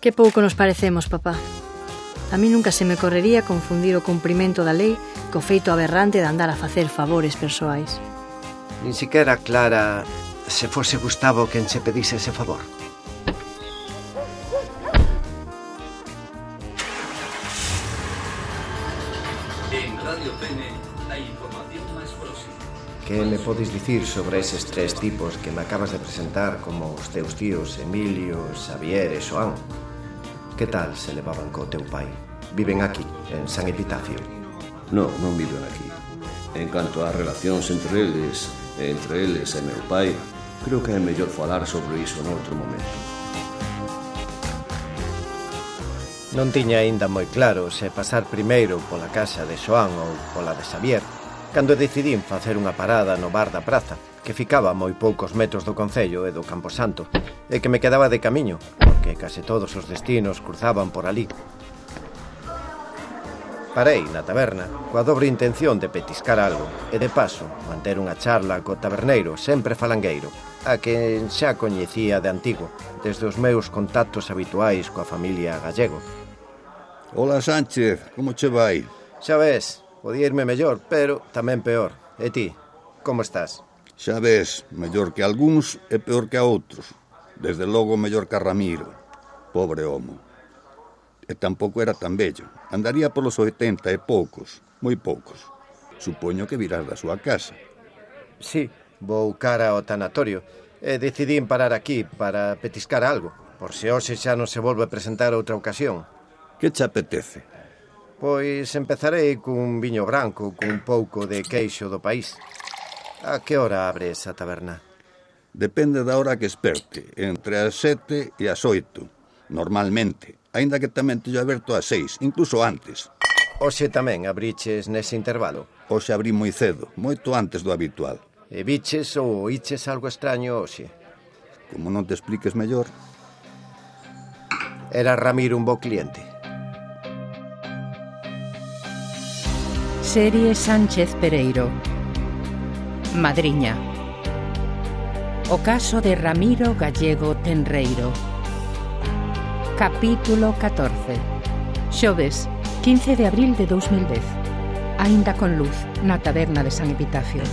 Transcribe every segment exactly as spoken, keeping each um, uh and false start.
Que pouco nos parecemos, papá. A mí nunca se me correría confundir o cumprimento da lei co feito aberrante de andar a facer favores persoais. Nin siquiera Clara se fose Gustavo quen se pedise ese favor. En Radio Pene, a información máis próxima. Que me podes dicir sobre eses tres tipos que me acabas de presentar como os teus tíos Emilio, Xavier e Xoán? Que tal se levaban co teu pai? Viven aquí, en San Epitafio? Non, non viven aquí. En canto ás relacións entre eles, entre eles e meu pai, creo que é mellor falar sobre iso noutro momento. Non tiña aínda moi claro se pasar primeiro pola casa de Xoán ou pola de Xavier, cando decidín facer unha parada no bar da praza, que ficaba a moi poucos metros do concello e do Camposanto, e que me quedaba de camiño, porque case todos os destinos cruzaban por ali. Parei na taberna coa dobre intención de petiscar algo e, de paso, manter unha charla co taberneiro sempre falangueiro, a quen xa coñecía de antigo, desde os meus contactos habituais coa familia Gallego. Ola, Sánchez, como che vai? Xa ves, podía irme mellor, pero tamén peor. E ti, como estás? Xa ves, mellor que algúns e peor que a outros. Desde logo mellor que a Ramiro. Pobre homo. E tampouco era tan bello. Andaría polos oitenta e poucos, moi poucos. Supoño que virás da súa casa. Sí, vou cara ao tanatorio e decidín parar aquí para petiscar algo, por se hoxe xa non se volve a presentar outra ocasión. Que che apetece? Pois empezarei cun viño branco cun pouco de queixo do país. A que hora abre esa taberna? Depende da hora que esperte, entre as sete e as oito, normalmente, aínda que tamén teño aberto ás seis, incluso antes. Hoxe tamén abriches nese intervalo? Hoxe abrí moi cedo, moito antes do habitual. E viches ou oíches algo extraño hoxe? Como non te expliques mellor? Era Ramiro un bo cliente. Serie Sánchez Pereiro. Madriña. O caso de Ramiro Gallego Tenreiro. Capítulo catorce. Xoves, quince de abril de dous mil dez. Aínda con luz, na taberna de San Epitafio.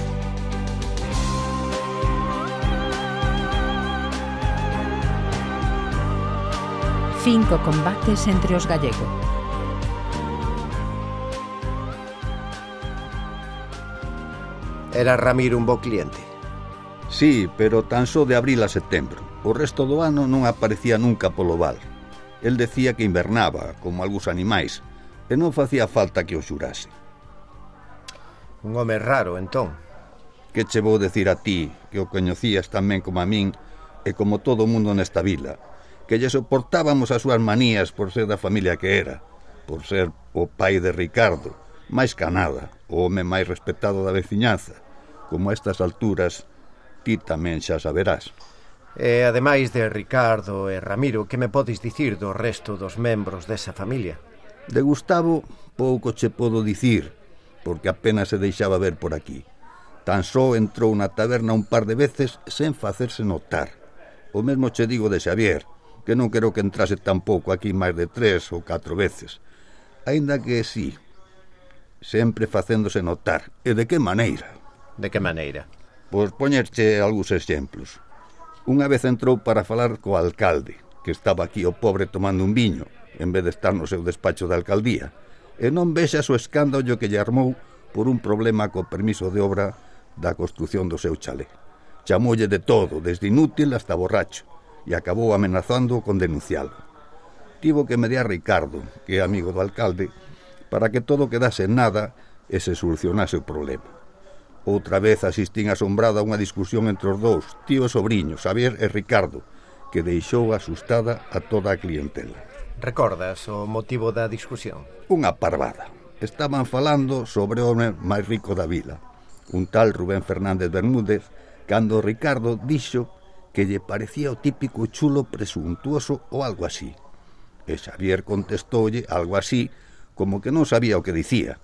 Cinco combates entre os gallegos. Era Ramiro un bo cliente? Sí, pero tan só de abril a setembro. O resto do ano non aparecía nunca polo val. El decía que invernaba, como algúns animais, e non facía falta que o xurase. Un home raro, entón. Que che vou decir a ti, que o coñecías tamén como a min, e como todo o mundo nesta vila, que lle soportábamos as súas manías por ser da familia que era, por ser o pai de Ricardo, máis ca nada, o home máis respetado da veciñanza. Como a estas alturas, ti tamén xa saberás. E, ademais de Ricardo e Ramiro, que me podes dicir do resto dos membros desa familia? De Gustavo, pouco che podo dicir, porque apenas se deixaba ver por aquí. Tan só entrou na taberna un par de veces sen facerse notar. O mesmo che digo de Xavier, que non quero que entrase tampouco aquí máis de tres ou catro veces. Aínda que sí, sempre facéndose notar. E de que maneira? De que maneira? Pois poñerche algúns exemplos. Unha vez entrou para falar co alcalde, que estaba aquí o pobre tomando un viño, en vez de estar no seu despacho de alcaldía, e non vexas o escándalo que lle armou por un problema co permiso de obra da construción do seu chalé. Chamoulle de todo, desde inútil hasta borracho, e acabou amenazando con denuncialo. Tivo que mediar Ricardo, que é amigo do alcalde, para que todo quedase en nada e se solucionase o problema. Outra vez asistín asombrado a unha discusión entre os dous, tío e sobrinho, Xavier e Ricardo, que deixou asustada a toda a clientela. Recordas o motivo da discusión? Unha parvada. Estaban falando sobre o home máis rico da vila, un tal Rubén Fernández Bermúdez, cando Ricardo dixo que lle parecía o típico chulo presuntuoso ou algo así. E Xavier contestoulle algo así, como que non sabía o que dicía,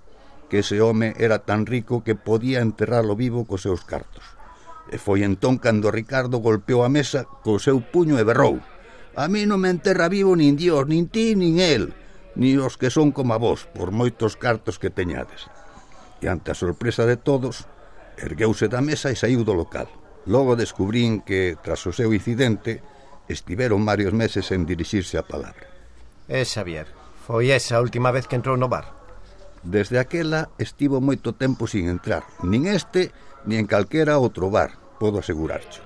que ese home era tan rico que podía enterralo vivo cos seus cartos. E foi entón cando Ricardo golpeou a mesa co seu puño e berrou: A mí non me enterra vivo nin Dios, nin ti, nin el, ni os que son como a vos, por moitos cartos que teñades. E ante a sorpresa de todos, ergueuse da mesa e saiu do local. Logo descubrín que, tras o seu incidente, estiveron varios meses en dirixirse a palabra. É Xavier, foi esa a última vez que entrou no bar? Desde aquela estivo moito tempo sin entrar, nin este, nin en calquera outro bar, podo asegurarcho.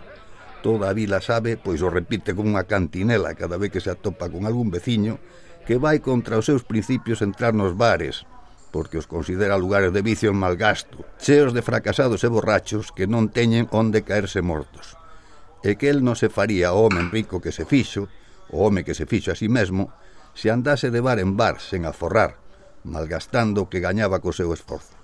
Toda a vila sabe, pois o repite como unha cantinela cada vez que se atopa con algún veciño que vai contra os seus principios entrar nos bares, porque os considera lugares de vicio en mal gasto, cheos de fracasados e borrachos que non teñen onde caerse mortos. E que el non se faría o home rico que se fixo, o home que se fixo a si mesmo, se andase de bar en bar sen aforrar, malgastando o que gañaba co seu esforzo.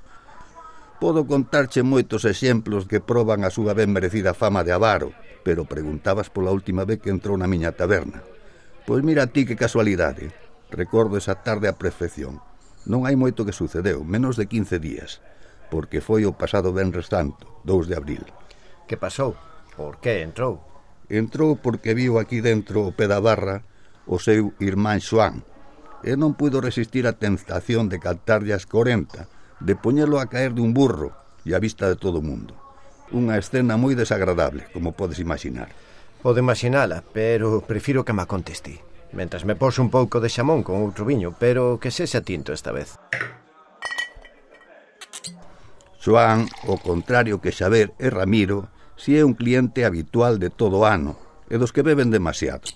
Podo contarche moitos exemplos que proban a súa ben merecida fama de avaro, pero preguntabas pola última vez que entrou na miña taberna. Pois mira ti que casualidade. Recordo esa tarde a perfección. Non hai moito que sucedeu, menos de quince días, porque foi o pasado Venres Santo, dous de abril. Que pasou? Por que entrou? Entrou porque viu aquí dentro o pé da barra o seu irmán Xoán, e non puido resistir a tentación de cantarlle as corenta, de poñelo a caer dun burro e a vista de todo o mundo. Unha escena moi desagradable, como podes imaginar. Podo imaginala, pero prefiro que me conteste. Mentras me pose un pouco de xamón con outro viño, pero que sexa tinto esta vez. Xoán, ao contrario que Xavier e Ramiro, si é un cliente habitual de todo o ano, e dos que beben demasiado.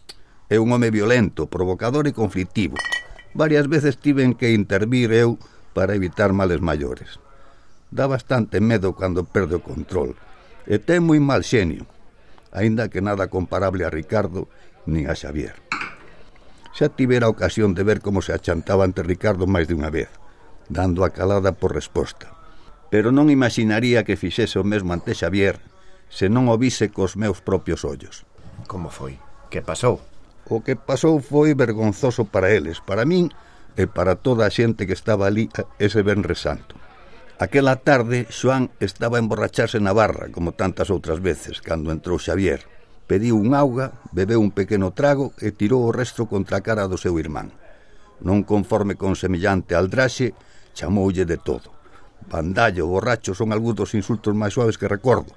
É un home violento, provocador e conflictivo. Varias veces tiven que intervir eu para evitar males maiores. Dá bastante medo cando perde o control, e ten moi mal xenio, aínda que nada comparable a Ricardo nin a Xavier. Xa tivera a ocasión de ver como se achantaba ante Ricardo máis de unha vez, dando a calada por resposta, pero non imaginaría que fixese o mesmo ante Xavier se non o vise cos meus propios ollos. Como foi? Que pasou? O que pasou foi vergonzoso para eles, para min e para toda a xente que estaba ali ese Venres Santo. Aquela tarde, Xoán estaba a emborracharse na barra, como tantas outras veces, cando entrou Xavier. Pediu un auga, bebeu un pequeno trago e tirou o resto contra a cara do seu irmán. Non conforme con semellante aldraxe, chamoulle de todo. Bandallo, borracho, son algúns dos insultos máis suaves que recordo.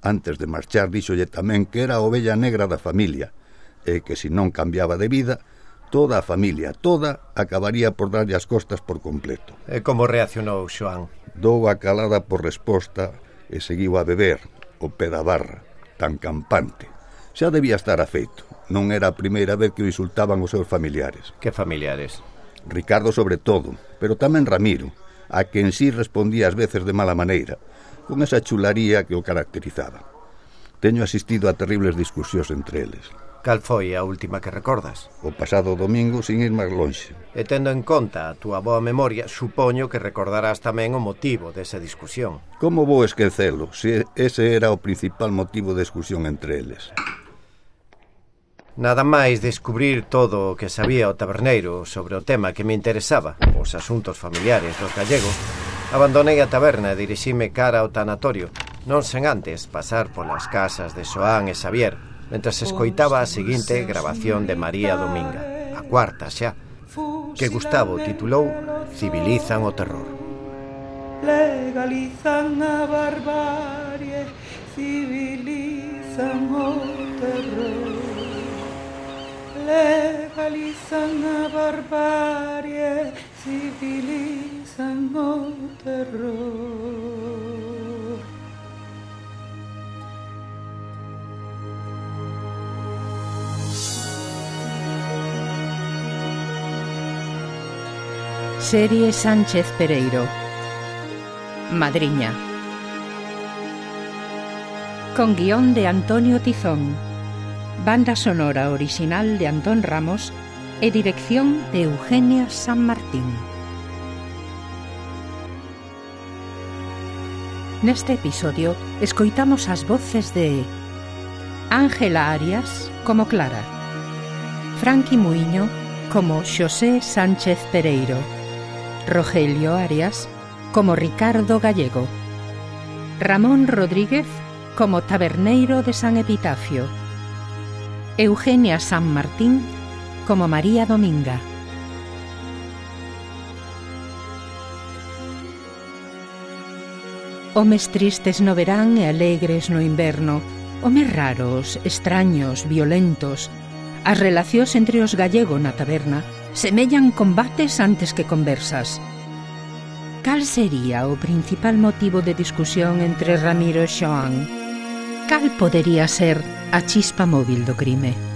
Antes de marchar, díxolle tamén que era a ovella negra da familia, e que se non cambiaba de vida, toda a familia, toda, acabaría por darlle as costas por completo. E como reaccionou Xoán? Dou a calada por resposta e seguiu a beber, o pé da barra, tan campante. Xa debía estar afeito. Non era a primeira vez que o insultaban os seus familiares. Que familiares? Ricardo sobre todo, pero tamén Ramiro, a que en sí respondía ás veces de mala maneira, con esa chularía que o caracterizaba. Teño asistido a terribles discusións entre eles. Cal foi a última que recordas? O pasado domingo, sin ir máis lonxe. E tendo en conta a túa boa memoria, supoño que recordarás tamén o motivo desa discusión. Como vou esquecelo, se ese era o principal motivo de discusión entre eles? Nada máis descubrir todo o que sabía o taberneiro sobre o tema que me interesaba, os asuntos familiares dos gallegos, abandonei a taberna e dirixime cara ao tanatorio, non sen antes pasar polas casas de Xoán e Xavier, mentras escoitaba a seguinte grabación de María Dominga, a cuarta xa, que Gustavo titulou Civilizan o terror. Legalizan a barbarie, civilizan o terror. Legalizan a barbarie, civilizan o terror. Serie Sánchez Pereiro. Madriña. Con guión de Antonio Tizón. Banda sonora original de Antón Ramos e dirección de Eugenia San Martín. Neste episodio escoitamos as voces de Ángela Arias como Clara, Franqui Muiño como Xosé Sánchez Pereiro, Rogelio Arias como Ricardo Gallego, Ramón Rodríguez como Taberneiro de San Epitafio Eugenia San Martín como María Dominga. Homes tristes no verán e alegres no inverno, homes raros, extraños, violentos. As relacións entre os gallegos na taberna semellan combates antes que conversas. Cal sería o principal motivo de discusión entre Ramiro e Xoán? Cal podería ser a chispa móvil do crime?